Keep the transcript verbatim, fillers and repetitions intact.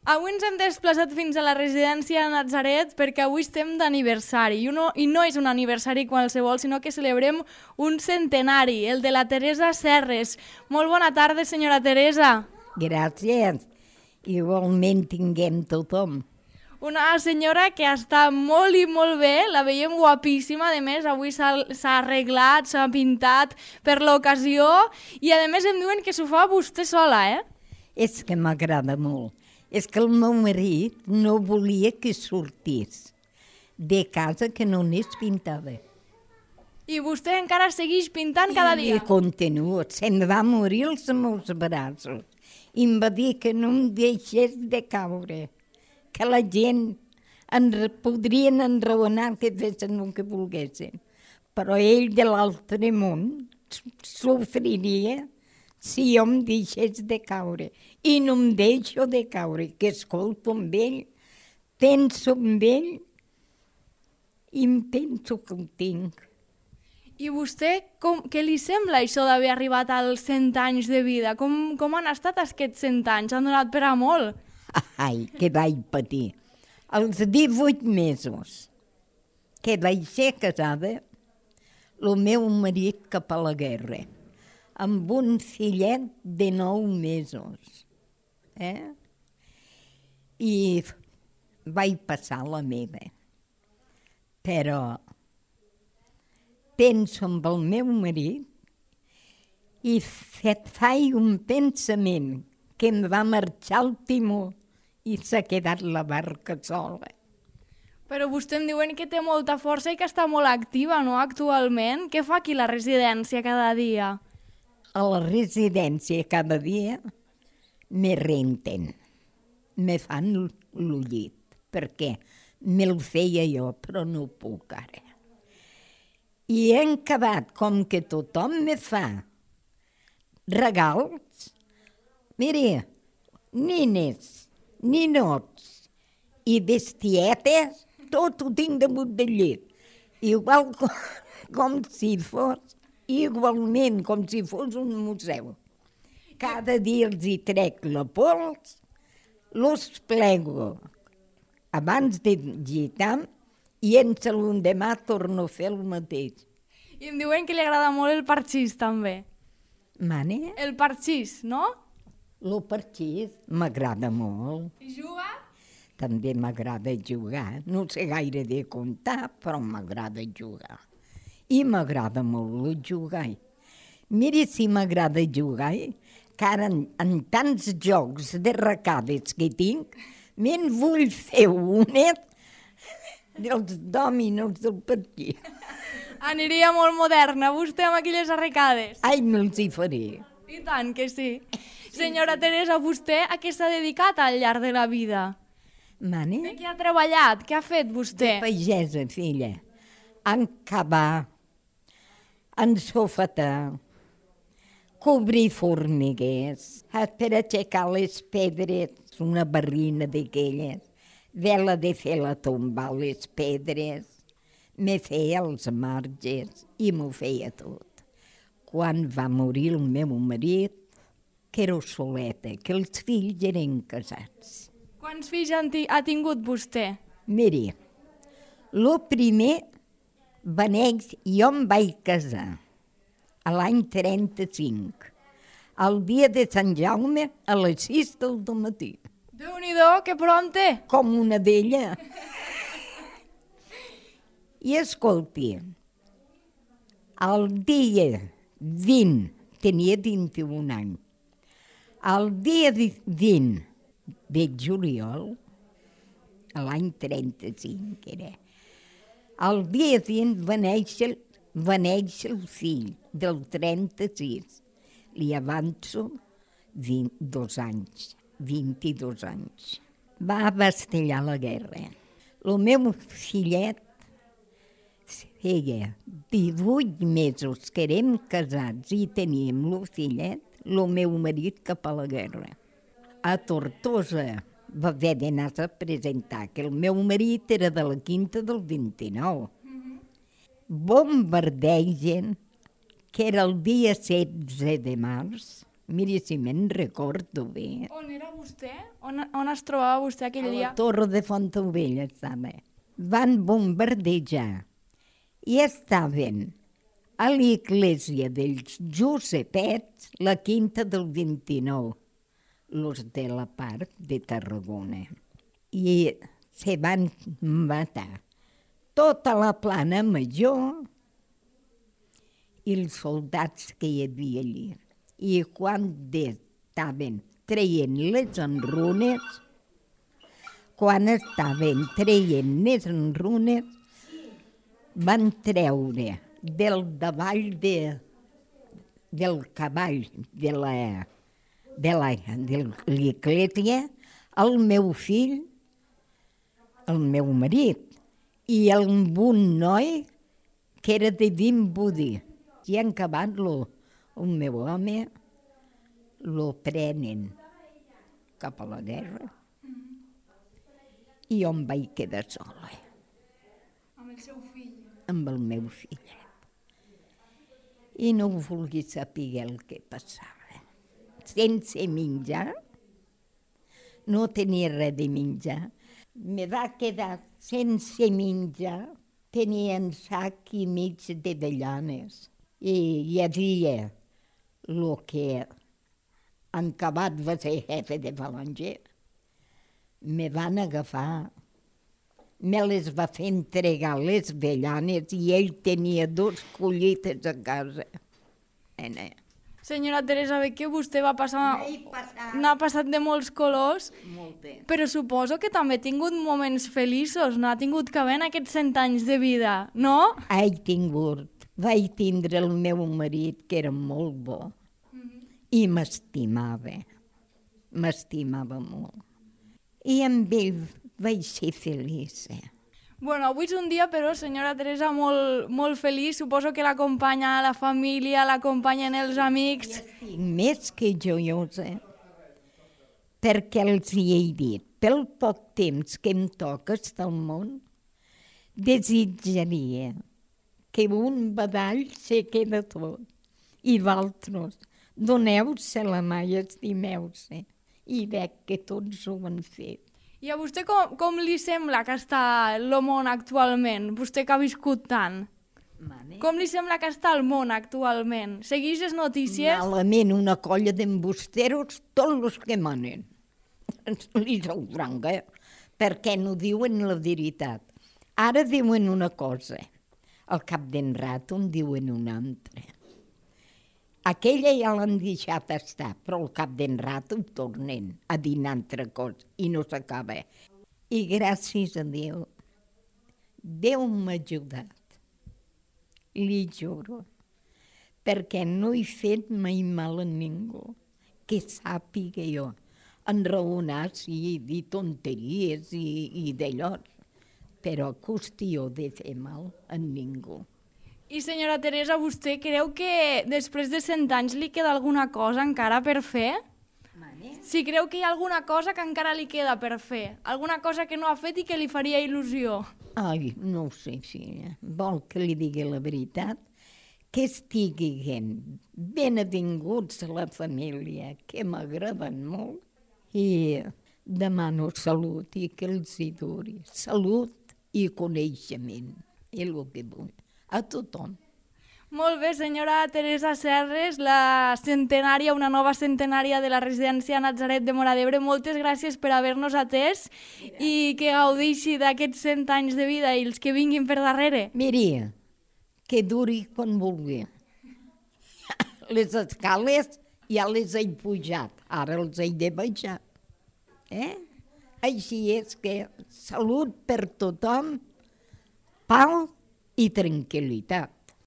Avui ens hem desplaçat fins a la residència de Natzaret perquè avui estem d'aniversari i, no, i no és un aniversari qualsevol, sinó que celebrem un centenari, el de la Teresa Serres. Molt bona tarda, senyora Teresa. Gràcies. Igualment tinguem tothom. Una senyora que està molt i molt bé, la veiem guapíssima, a més avui s'ha arreglat, s'ha pintat per l'ocasió i a més em diuen que s'ho fa vostè sola, eh? És que m'agrada molt. És que el meu marit no volia que sortís de casa que no anés pintada. I vostè encara segueix pintant cada dia? I continuo. Se'n va morir els meus braços. I em va dir que no em deixés de caure. Que la gent en, podrien enraonar que fessin el que volguessin. Però ell de l'altre món sofriria si jo em deixés de caure. I no em deixo de caure, que escolto amb ell, penso amb ell i em penso que ho tinc. I vostè, com, què li sembla això d'haver arribat als cent anys de vida? Com, com han estat aquests cent anys? Han donat per a molt? Ai, que vaig patir. Als divuit mesos que vaig ser casada, el meu marit cap a la guerra, amb un fillet de nou mesos. Eh? I vaig passar la meva. Però penso amb el meu marit i fet faig un pensament que em va marxar el timó i s'ha quedat la barca sola. Però vostè em diuen que té molta força i que està molt activa, no, actualment? Què fa aquí a la residència cada dia? A la residència cada dia me renten, me fan el llit, perquè me'l feia jo, però no puc ara. I he acabat, com que tothom me fa regals, mira, nines, ninots i bestietes, tot ho tinc damunt del llit. Igual com, com si fos, igualment com si fos un museu. Cada dia els hi trec la pols, los plego abans de gitar i en l'endemà torno a fer el mateix. I em diuen que li agrada molt el parxís, també. Mane? El parxís, no? El parxís m'agrada molt. I juga? També m'agrada jugar. No sé gaire de comptar, però m'agrada jugar. I m'agrada molt jugar. Mira si m'agrada jugar, que ara en, en tants jocs de recades que tinc, me'n vull fer una dels dòminos del partit. Aniria molt moderna, vostè, amb aquelles arrecades. Ai, me'ls hi faré. I tant que sí. Senyora Teresa, vostè a què s'ha dedicat al llarg de la vida? Mane? De què ha treballat? Què ha fet vostè? Pagesa, filla. En cavar, en sofetar, cobrir formiguers, per aixecar les pedres, una barrina d'aquelles, vela de fer la tomba, les pedres, me feia els marges i m'ho feia tot. Quan va morir el meu marit, que era soleta, que els fills eren casats. Quants fills ha tingut vostè? Miri, el primer va néixer, jo em vaig casar a l'any trenta-cinc, el dia de Sant Jaume a les sis del matí. Déu-n'hi-do, que pronte! Com una d'ella. I escolti, el dia vint, tenia vint-i-un anys, el dia vint de juliol, l'any trenta-cinc era, el dia vint va néixer, va néixer el fill del trenta-sis, li avanço dos anys, vint-i-dos anys. Va abastellar la guerra. El meu fillet feia divuit mesos que érem casats i teníem el fillet, el meu marit cap a la guerra. A Tortosa va haver d'anar-se a presentar, que el meu marit era de la quinta del vint-i-nou. Bombardegen, que era el dia setze de març, Miri, si me'n recordo bé. On era vostè? On, on es trobava vostè aquell A dia? la Torre de Fontaubella estava. Van bombardejar i estaven a l'església dels Josepets, la quinta del vint-i-nou, los de la part de Tarragona. I se van matar tota la plana major i els soldats que hi havia allí. I quan estaven traient les enrunes, quan estaven traient les enrunes, van treure del davall de, del cavall de la de la de l'església el meu fill, el meu marit, i amb un noi que era de Vimbodí. I en acabat-lo, el meu home, lo prenen cap a la guerra i on vaig quedar sola. Amb el seu fill. Amb el meu fill. I no vulgui saber el que passava. Sense menjar, no tenia res de menjar. Me va quedar sense menjar, tenia un sac i mig d'avellanes. I hi havia el que en acabat va ser jefe de Balanger. Me van agafar, me les va fer entregar les avellanes i ell tenia dos collites a casa. Ena. Senyora Teresa, ve que vostè va passar... passat. N'ha passat de molts colors, Molt bé. però suposo que també ha tingut moments feliços, no ha tingut que haver en aquests cent anys de vida, no? He tingut, vaig tindre el meu marit, que era molt bo, i m'estimava, m'estimava molt. I amb ell vaig ser feliç. Bueno, avui és un dia, però, senyora Teresa, molt, molt feliç. Suposo que l'acompanya la família, l'acompanyen els amics. Estic més que joiosa, perquè els hi he dit, pel poc temps que em toca estar al món, desitjaria que un badall se queda tot, i d'altres, doneu-se la mà i estimeu-se, i veig que tots ho han fet. I a vostè com, com li sembla que està el món actualment? Vostè que ha viscut tant. Mare. Com li sembla que està el món actualment? Segueix les notícies? Malament, una colla d'embusteros, tots els que manen. Li sou franca, perquè no diuen la veritat. Ara diuen una cosa, al cap d'en rato en diuen una altra. Aquella ja l'han deixat estar, però al cap d'en rato tornen a dir una altra cosa i no s'acaba. I gràcies a Déu, Déu m'ha ajudat, li juro, perquè no he fet mai mal a ningú, que sàpiga jo, enraonar, sí, dir tonteries i, i d'allò, però qüestió de fer mal a ningú. I senyora Teresa, vostè creu que després de cent anys li queda alguna cosa encara per fer? Mare? Si creu que hi ha alguna cosa que encara li queda per fer, alguna cosa que no ha fet i que li faria il·lusió. Ai, no ho sé, filla. Vol que li digui la veritat? Que estiguin benvinguts a la família, que m'agraden molt. I demano salut i que els hi duri. Salut i coneixement. És el que vull. A tothom. Molt bé, senyora Teresa Serres, la centenària, una nova centenària de la residència Natzaret de Móra d'Ebre. Moltes gràcies per haver-nos atès i que gaudeixi d'aquests cent anys de vida i els que vinguin per darrere. Miri, que duri quan vulgui. Les escales ja les he pujat, ara els he de baixar. Eh? Així és que salut per tothom, pau i tranquil·litat.